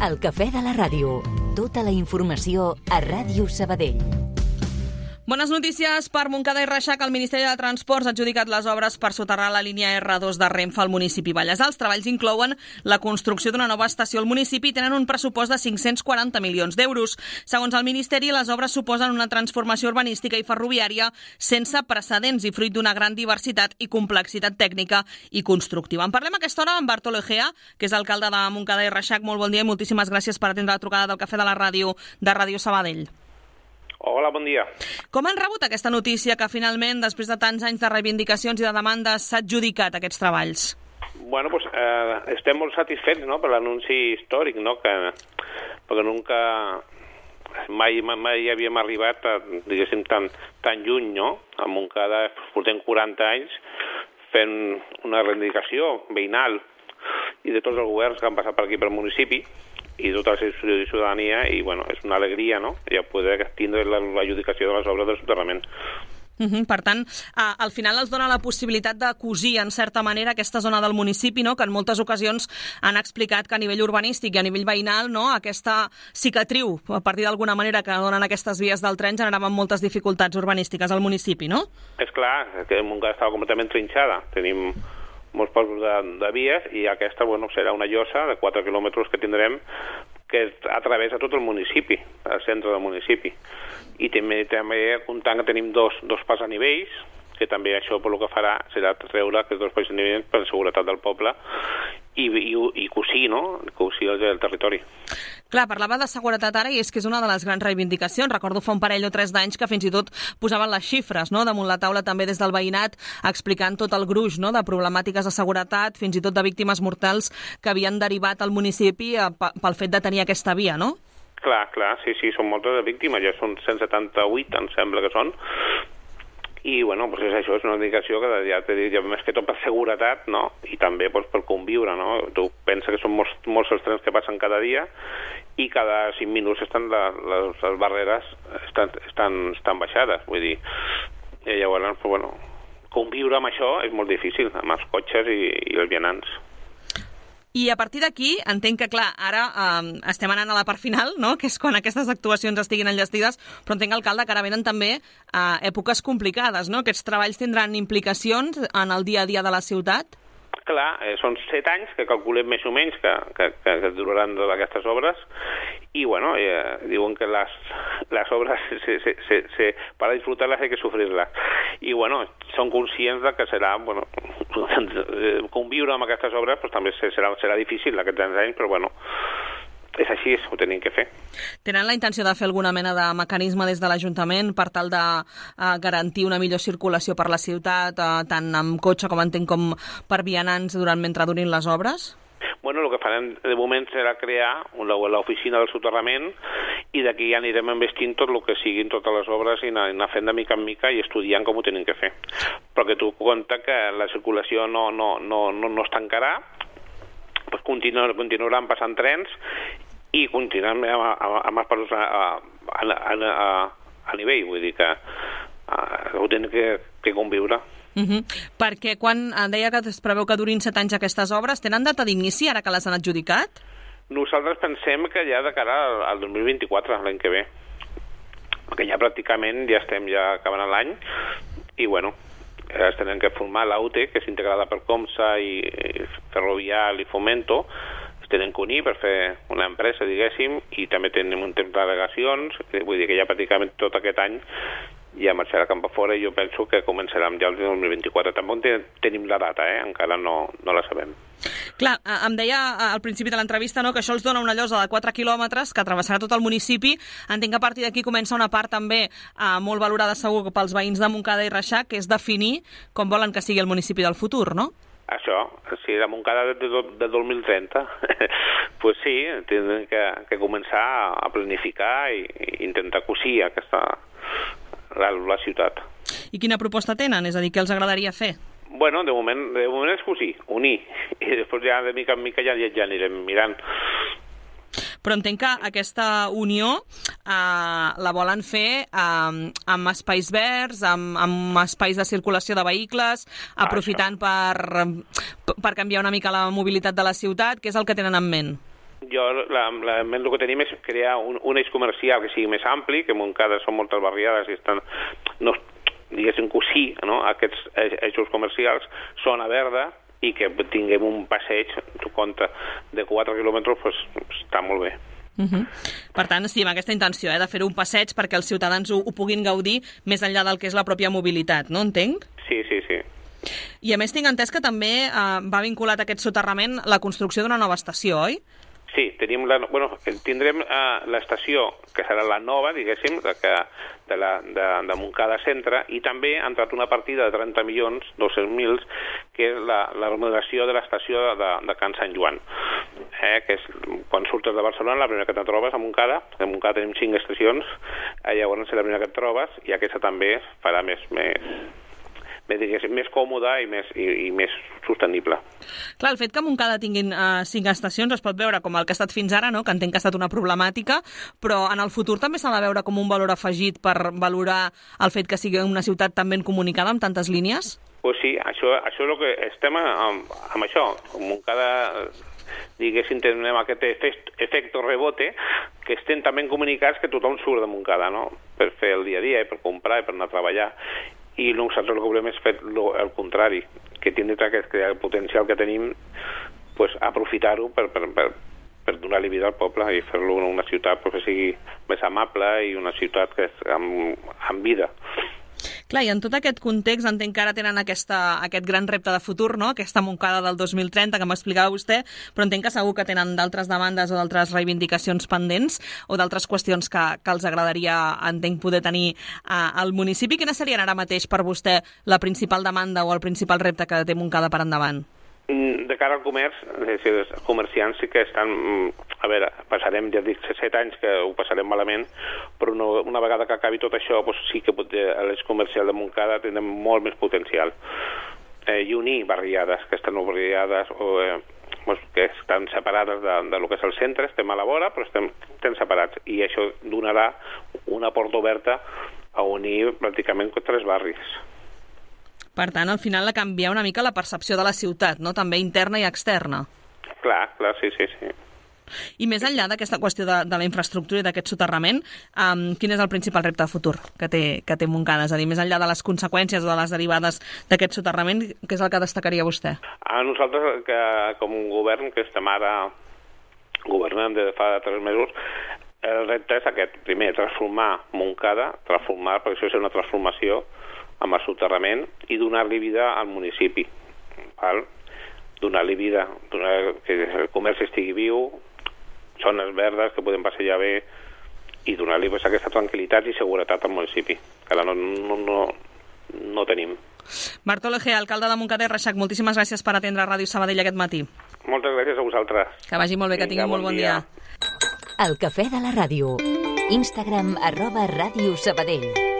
El cafè de la ràdio. Tota la informació a Ràdio Sabadell. Bones notícies per Montcada i Reixac. El Ministeri de Transports ha adjudicat les obres per soterrar la línia R2 de Renfe al municipi Vallèsar. Els treballs inclouen la construcció d'una nova estació al municipi i tenen un pressupost de 540 milions d'euros. Segons el Ministeri, les obres suposen una transformació urbanística i ferroviària sense precedents i fruit d'una gran diversitat i complexitat tècnica i constructiva. En parlem a aquesta hora amb Bartolo Egea, que és alcalde de Montcada i Reixac. Molt bon dia i moltíssimes gràcies per atendre la trucada del Cafè de la Ràdio de Ràdio Sabadell. Hola, bon dia. Com han rebut aquesta notícia que finalment, després de tants anys de reivindicacions i de demandes, s'ha adjudicat aquests treballs? Bueno, pues estem molt satisfets, no?, per l'anunci històric, no?, perquè mai havíem arribat a, diguéssim, tan lluny, no? A Montcada portem 40 anys fent una reivindicació veïnal i de tots els governs que han passat per aquí pel municipi i tota la ciutadania, i bueno, és una alegria, no?, ja poder tindre l'adjudicació de les obres de soterrament. Per tant, al final els dona la possibilitat de cosir, en certa manera, aquesta zona del municipi, no?, que en moltes ocasions han explicat que a nivell urbanístic i a nivell veïnal, no?, aquesta cicatriu, a partir d'alguna manera, que donen aquestes vies del tren, generaven moltes dificultats urbanístiques al municipi, no? És clar, que Montcada estava completament trinxada. Tenim molts pobles de vies i aquesta, bueno, serà una llosa de 4 quilòmetres que tindrem que atravessa tot el municipi, el centre del municipi. I també comptant que tenim dos pas a nivells, que també això per lo que farà serà treure aquests dos pas a nivells per la seguretat del poble i cosir, no?, cosir el territori. Clar, parlava de seguretat ara i és que és una de les grans reivindicacions. Recordo fa un parell o 3 d'anys que fins i tot posaven les xifres, no?, damunt la taula també des del veïnat, explicant tot el gruix, no?, de problemàtiques de seguretat, fins i tot de víctimes mortals que havien derivat al municipi pel fet de tenir aquesta via, no? Clar, sí, són moltes de víctimes, ja són 178, em sembla que són. I, bueno, doncs això és una indicació que ja t'he dit, més que tot per seguretat, no?, i també doncs, per conviure, no? Tu pensa que són molts els trens que passen cada dia i cada 5 minuts les barreres estan baixades, vull dir, i llavors, bueno, conviure amb això és molt difícil, amb els cotxes i els vianants. I a partir d'aquí, entenc que, clar, ara estem anant a la part final, no?, que és quan aquestes actuacions estiguin enllestides, però entenc, alcalde, que ara venen també èpoques complicades, no? Aquests treballs tindran implicacions en el dia a dia de la ciutat? Clar, són 7 anys que calculem més o menys que duraran aquestes obres i, bueno, diuen que les obres para disfrutarlas hay que sufrirlas. I, bueno, són conscients de que serà, bueno, conviure amb aquestes obres pues, també serà difícil aquests anys, però, bueno, és així, ho tenim que fer. Tenen la intenció de fer alguna mena de mecanisme des de l'Ajuntament per tal de garantir una millor circulació per la ciutat, tant amb cotxe com entenc com per vianants mentre durin les obres? Bueno, el que farem de moment serà crear l'oficina del soterrament i d'aquí ja anirem investint tot el que siguin totes les obres i anar fent de mica en mica i estudiant com ho tenim que fer. Però que tu compte que la circulació no es tancarà, pues continuaran passant trens i continuaran amb els passos a nivell, vull dir que ho tenen que conviure. Perquè quan deia que es preveu que durin 7 anys aquestes obres, tenen data d'inici ara que les han adjudicat? Nosaltres pensem que ja de cara al 2024, l'any que ve, perquè ja pràcticament ja estem acabant l'any i, bueno, es tenen que formar l'AUTE, que és integrada per Comsa i Ferrovial i Fomento, es tenen que unir per fer una empresa, diguéssim, i també tenim un temps d'al·legacions, vull dir que ja pràcticament tot aquest any ja marxarà cap a fora i jo penso que començarem ja el 2024. Tampoc tenim la data, encara no la sabem. Clar, em deia al principi de l'entrevista, no, que això els dona una llosa de 4 quilòmetres que travessarà tot el municipi. Entenc que a partir d'aquí comença una part també molt valorada segur pels veïns de Montcada i Reixac, que és definir com volen que sigui el municipi del futur, no? Això, si la Montcada de 2030, pues sí, tindrem que començar a planificar i intentar cosir la ciutat. I quina proposta tenen? És a dir, què els agradaria fer? Bueno, de moment és cosir, unir, i després ja de mica en mica ja anirem mirant. Però entenc que aquesta unió la volen fer amb espais verds, amb espais de circulació de vehicles, aprofitant per canviar una mica la mobilitat de la ciutat, que és el que tenen en ment. Jo, el que tenim és crear un eix comercial que sigui més ampli, que a Montcada són moltes barriades i estan, no, diguéssim, cosir, no? Aquests eixos comercials, zona verda, i que tinguem un passeig, tu compte, de 4 quilòmetres, pues, està molt bé. Per tant, sí, amb aquesta intenció, de fer un passeig perquè els ciutadans ho puguin gaudir més enllà del que és la pròpia mobilitat, no entenc? Sí. I a més tinc entès que també va vinculat a aquest soterrament la construcció d'una nova estació, oi? Sí, tindrem l'estació, que serà la nova, diguéssim, de Montcada Centre, i també ha entrat una partida de 30.200.000, que és la remodelació de l'estació de Can Sant Joan, que és quan surtes de Barcelona, la primera que te trobes a Montcada tenim 5 estacions, llavors és la primera que et trobes, i aquesta també farà més còmoda i més sostenible. Clar, el fet que Montcada tinguin 5 estacions es pot veure com el que ha estat fins ara, no? Que entenc que ha estat una problemàtica, però en el futur també s'ha de veure com un valor afegit per valorar el fet que sigui una ciutat tan ben comunicada amb tantes línies? Pues sí, això és el que estem amb això. Montcada, diguéssim, tenim aquest efecte rebote, que estem també comunicats que tothom surt de Montcada, no? Per fer el dia a dia, i per comprar, i per anar a treballar. I nosaltres el que volem és fer el contrari, que tindre el potencial que tenim, pues, aprofitar-ho per donar-li vida al poble i fer-lo una ciutat que sigui més amable i una ciutat que és amb vida. Clar, i en tot aquest context entenc que ara tenen aquest gran repte de futur, no? Aquesta Montcada del 2030 que m'explicava vostè, però entenc que segur que tenen d'altres demandes o d'altres reivindicacions pendents o d'altres qüestions que els agradaria, entenc, poder tenir al municipi. Quines serien ara mateix per vostè la principal demanda o el principal repte que té Montcada per endavant? De cara al comerç, els comerciants sí que estan... A veure, passarem, ja dic, 7 anys que ho passarem malament, però una vegada que acabi tot això, doncs sí que l'eix comercial de Montcada tindrem molt més potencial. I unir barriades que estan barriades o que estan separades de lo que és el centre, estem a la vora, però estem separats. I això donarà una porta oberta a unir pràcticament 3 barris. Per tant, al final ha canviat una mica la percepció de la ciutat, no? També interna i externa. Clar, sí. I més enllà d'aquesta qüestió de la infraestructura i d'aquest soterrament, quin és el principal repte de futur que té Montcada? És a dir, més enllà de les conseqüències o de les derivades d'aquest soterrament, què és el que destacaria vostè? A nosaltres, que com un govern que estem ara governant des de fa 3 mesos, el repte és aquest. Primer, transformar Montcada, perquè això és una transformació amb el soterrament i donar-li vida al municipi. Donar-li vida, que el comerç estigui viu, zones verdes que podem passejar bé i donar-li aquesta tranquil·litat i seguretat al municipi, que ara no tenim. Bartolo Egea, alcalde de Montcada i Reixac, moltíssimes gràcies per atendre Ràdio Sabadell aquest matí. Moltes gràcies a vosaltres. Que vagi molt bé, que tinguin molt bon dia. El cafè de la ràdio. Instagram @Ràdio Sabadell.